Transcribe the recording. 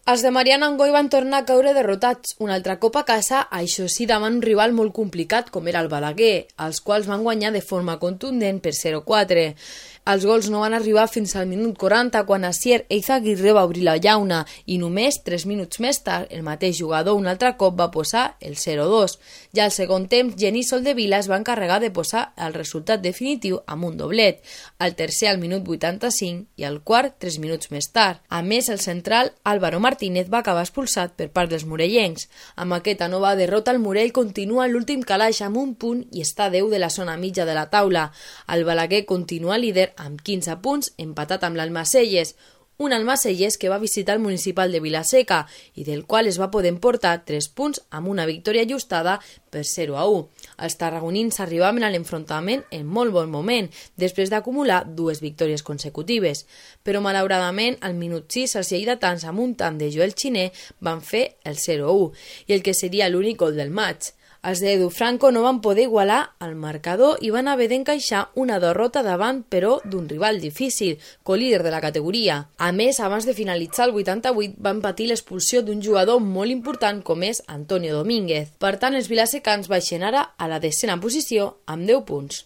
Els de Mariano Angoi van tornar a caure derrotats un altre cop a casa, això sí davant un rival molt complicat com era el Balaguer, els quals van guanyar de forma contundent per 0-4. Els gols no van arribar fins al minut 40 quan Asier Eizaguirre va obrir la llauna i només 3 minuts més tard el mateix jugador un altre cop va posar el 0-2. Ja al segon temps, Genís Soldevila es va encarregar de posar el resultat definitiu amb un doblet, el tercer al minut 85 i el quart 3 minuts més tard. A més, el central Álvaro Martínez va acabar expulsat per part dels morellencs. Amb aquesta nova derrota, el Morell continua en l'últim calaix amb un punt i està a 10 de la zona mitja de la taula. El Balaguer continua líder amb 15 punts, empatat amb l'Almacelles, un Almacelles que va visitar el municipal de Vilaseca i del qual es va poder emportar 3 punts amb una victòria ajustada per 0-1. Els tarragonins arribaven a l'enfrontament en molt bon moment, després d'acumular 2 victòries consecutives. Però malauradament, al minut 6, els lleidatans amb un tant de Joel Xiner van fer el 0-1 i el que seria l'únic gol del maig. Els d'Edu Franco no van poder igualar el marcador i van haver d'encaixar una derrota davant, però, d'un rival difícil, colíder de la categoria. A més, abans de finalitzar el 88, van patir l'expulsió d'un jugador molt important com és Antonio Domínguez. Per tant, els vilasecans baixen ara a la 10ª posició amb 10 punts.